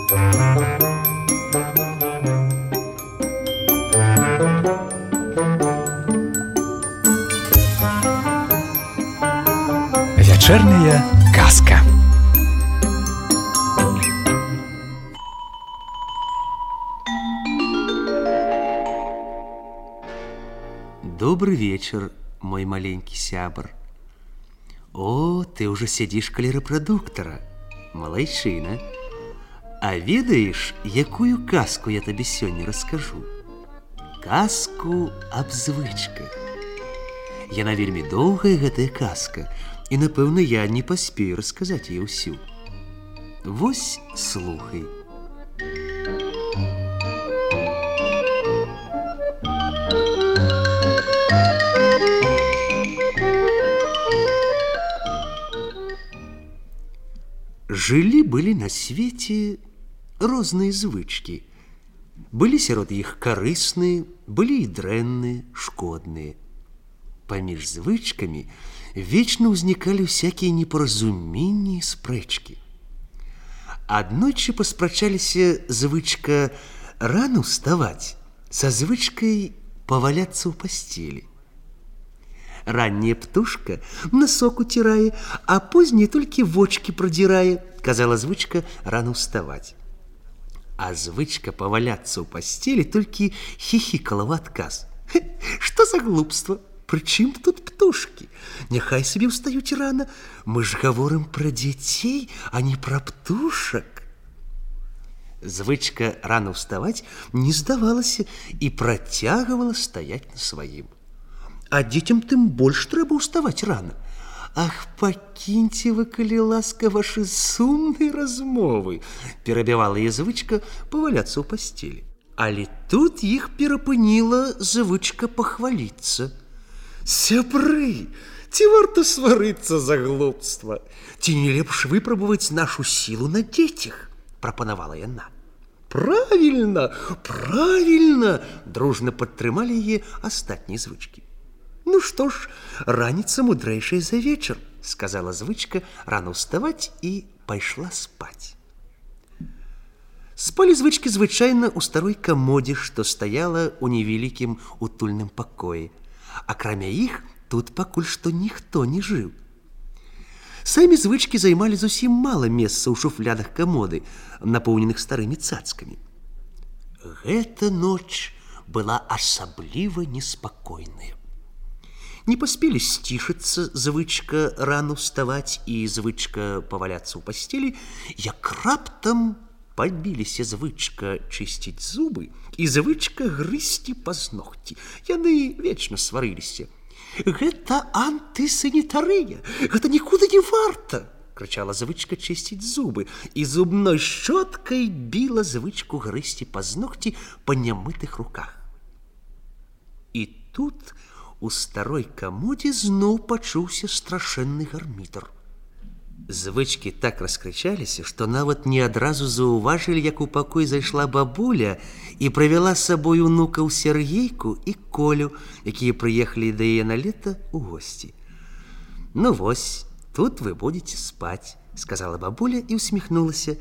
Вечерняя казка. Добрый вечер, мой маленький сябр. О, ты уже сидишь каля рэпрадуктара. Малайчына. А ведаеш, якую казку я табе сёння раскажу? Казку аб звычках. Яна вельмі доўгая, гэтая казка, і, напэўна, я не паспею расказаць яе ўсю. Вось слухай. Жылі-былі на свеце розныя звычкі. Былі сярод іх карысныя, былі і дрэнныя, шкодныя. Паміж звычкамі вечна ўзнікалі ўсякія непаразуменні і спрэчкі. Аднойчы паспрачаліся звычка рана ўставаць са звычкай паваляцца ў пасцелі. Ранняя птушка носок уцірае, а позняя толькі вочкі прадзірае, казала звычка рана ўставаць. А звычка паваляцца ў пасцелі толькі хіхікала ў адказ. Што за глупства? Прычым тут птушкі? Няхай сабе ўстаюць рана. Мы ж гаворым пра дзяцей, а не пра птушак. Звычка рана ўставаць не здавалася і працягвала стаяць на сваім. А дзецям тым больш трэба ўставаць рана. Ах, пакіньце вы, калі ласка, вашы сумныя размовы, перабівала яе звычка паваляцца ў пасцелі. Але тут іх перапыніла звычка пахваліцца. Сябры, ці варта сварыцца за глупства? Ці не лепш выпрабаваць нашу сілу на дзецях? Прапанавала яна. Правільна, правільна, дружна падтрымалі яе астатнія звычкі. Ну што ж, раніца мудрэйшая за вечар, сказала звычка рана ўставаць і пайшла спаць. Спалі звычкі звычайна ў старой камодзе, што стаяла ў невялікім утульным пакоі. Акрамя іх, тут пакуль што ніхто не жыў. Самі звычкі займалі зусім мала месца ў шуфлядах камоды, напоўненых старымі цацкамі. Гэта ноч была асабліва неспакойная. Не паспелі сцішыцца звычка рана ўставаць і звычка паваляцца ў пасцелі, як раптам пабіліся звычка чысціць зубы і звычка грызці пазногці. Яны вечна сварыліся. Гэта антысанітарыя, гэта нікуды не варта, крычала звычка чысціць зубы, і зубной шчоткай біла звычку грызці пазногці па нямытых руках. І тут у старой камодзе зноў пачуўся страшэнны гармітар. Звычкі так раскрычаліся, што нават не адразу заўважылі, як у пакой зайшла бабуля і правяла з сабой унукаў Сергейку і Колю, якія прыехалі да яе на лета ў госці. Ну вось, тут вы будзеце спаць, сказала бабуля і усміхнулася.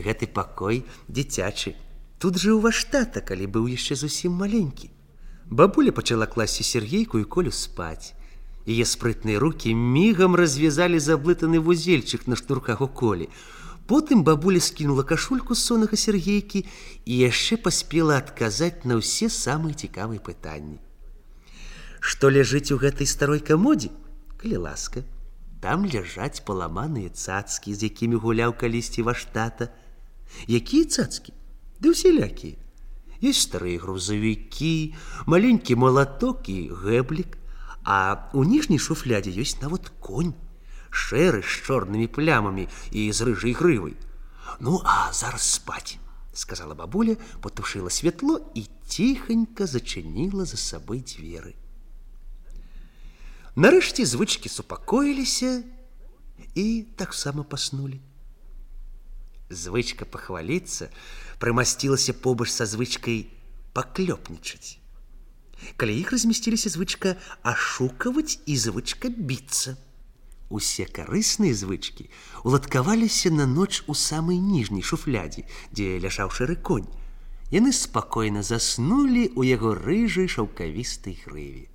Гэты пакой дзіцячы. Тут жыў ваш тата, калі быў яшчэ зусім маленькі. Бабуля пачала класці Сергейку і Колю спаць. Яе спрытныя рукі мігам развязалі заблытаны вузельчык на шнурках у Колі. Потым бабуля скінула кашульку з сонага Сергейкі і яшчэ паспела адказаць на ўсе самыя цікавыя пытанні. Што ляжыць у гэтай старой камодзе? Калі ласка, там ляжаць паламаныя цацкі, з якімі гуляў калісьці ваш тата. Якія цацкі? Ды усялякія. Ёсць старыя грузавікі, маленькі малаток і гэблік. А ў ніжняй шуфлядзе ёсць нават конь, шэры з чорнымі плямамі і з рыжай грывай. Ну, а зараз спаць, сказала бабуля, патушыла святло і ціханька зачыніла за сабой дзверы. Нарэшце звычкі супакоіліся і таксама паснулі. Звычка пахваліцца прымасцілася побач са звычкай паклёпнічаць. Каля іх размясціліся звычка ашукаваць і звычка біцца. Усе карысныя звычкі уладкаваліся на ноч у самай ніжняй шуфлядзе, дзе ляжаў шэры конь. Яны спакойна заснулі ў яго рыжай шаўкавістай грыве.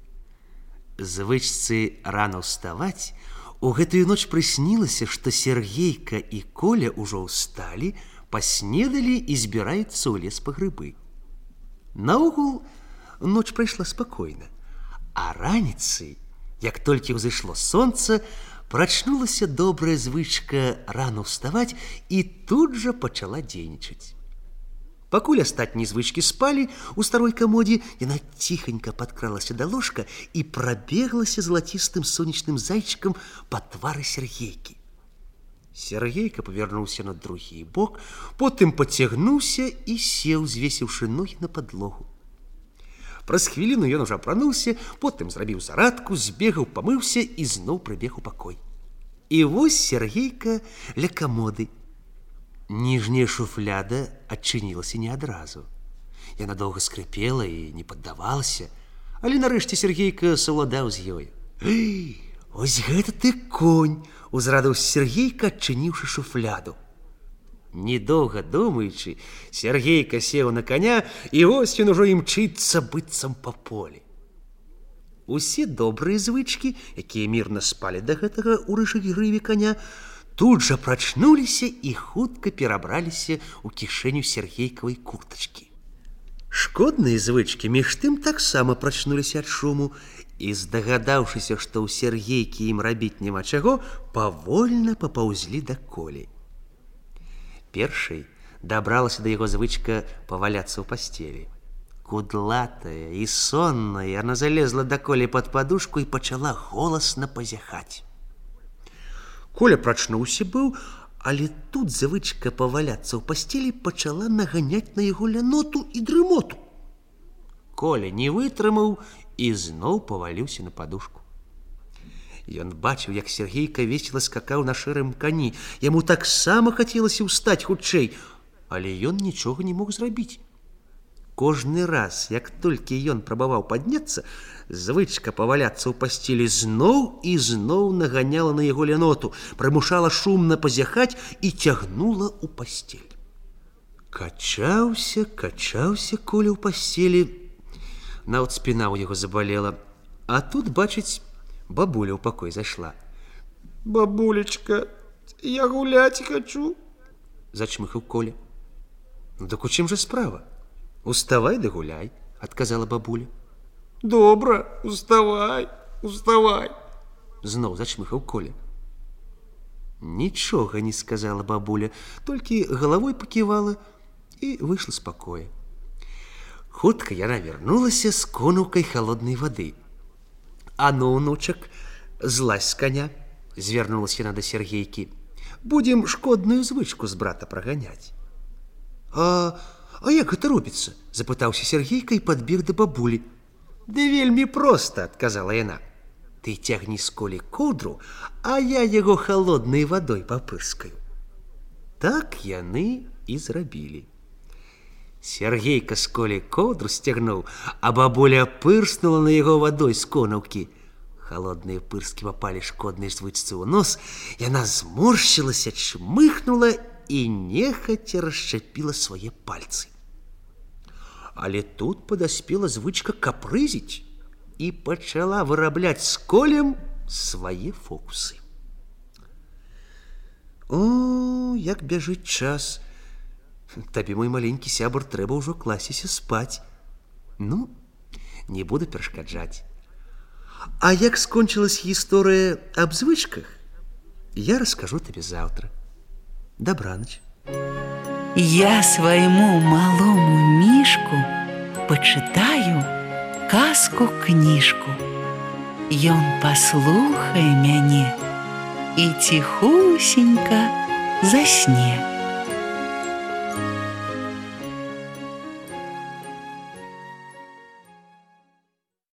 Звычцы рана ўставаць, у гэтую ноч прыснілася, што Сергейка і Коля ўжо ўсталі, паснедалі і збіраюцца ў лес па грыбы. Наогул, ноч прайшла спакойна, а раніцай, як толькі ўзышло сонца, прачнулася добрая звычка рано ўставаць і тут жа пачала дзейнічаць. Пакуль астатнія звычкі спалі, у старой камодзе яна ціханька падкралася да ложка і прабеглася залацістым сонечным зайчыкам па твары Сергейкі. Сергейка павярнуўся на другі бок, потым пацягнуўся і сеў, звесіўшы ногі на падлогу. Праз хвіліну ён ужо апрануўся, потым зрабіў зарадку, збегаў, памыўся і зноў прыбег у пакой. І вось Сергейка ля камоды. Ніжняя шуфляда адчынілася не адразу. Яна доўга скрыпела і не паддавалася, але нарэшце Сергейка саўладаў з ёй. Ось гэта ты конь! Узрадаўся Сергейка, адчыніўшы шуфляду. Недоўга думаючы, Сергейка сеў на коня, і вось ён ужо імчыцца быццам па полі. Усе добрыя звычкі, якія мірна спалі да гэтага ў рыжай грыве коня, тут жа прачнуліся і хутка перабраліся ў кішэню Сергейкавай куртачкі. Шкодныя звычкі між тым таксама прачнуліся ад шуму і, здагадаўшыся, што ў Сергейкі ім рабіць няма чаго, павольна папаўзлі да Колі. Першай дабралася да яго звычка паваляцца ў пасцелі. Кудлатая і сонная, яна залезла да Колі пад падушку і пачала голасна пазяхаць. Коля прачнуўся быў, але тут звычка паваляцца ў пасцелі пачала наганяць на яго ляноту і дрымоту. Коля не вытрымаў і зноў паваліўся на падушку. Ён бачыў, як Сергейка весела скакаў на шэрым кані. Яму таксама хацелася ўстаць хутчэй, але ён нічога не мог зрабіць. Кожны раз, як толькі ён прабаваў падняцца, звычка паваляцца ў пасцелі зноў і зноў наганяла на яго ляноту, прымушала шумна пазяхаць і цягнула ў пасцель. Качаўся Коля ў пасцелі. Нават спіна ў яго забалела. А тут, бачыць, бабуля ў пакой зайшла. «Бабулечка, я гуляць хачу», — зачмыхаў Коля. «Ну так у чым жа справа? Уставай да гуляй», — адказала бабуля. «Добра, уставай, уставай», — зноў зачмыхаў Коля. Нічога не сказала бабуля, толькі галавой паківала і выйшла з пакоя. Хутка яна вярнулася з конаўкай халоднай вады. «А ну, унучак, злазь з коня», — звярнулася яна да Сергейкі. «Будзем шкодную звычку з брата праганяць». А як гэта робіцца? — запытаўся Сергейка і падбег да бабулі. «Да вельмі проста», — адказала яна. «Ты цягні з Колі коўдру, а я яго халоднай вадой папырскаю». Так яны і зрабілі. Сергейка з Колі коўдру сцягнуў, а бабуля пырснула на яго вадой з конаўкі. Халодныя пырскі папалі шкоднай звычцы ў нос, яна зморшчылася, чмыхнула і нехаця расчапіла свае пальцы. Але тут падаспела звычка капрызіць і пачала вырабляць з Колем свае фокусы. О, як бяжыць час! Табе, мой маленькі сябар, трэба ўжо класціся спаць. Ну, не буду перашкаджаць. А як скончылась гісторыя аб звычках, я раскажу табе заўтра. Добраноч. Я свайму малому мішку пачытаю казку-кніжку. Ён паслухае мяне і ціхусенька засне.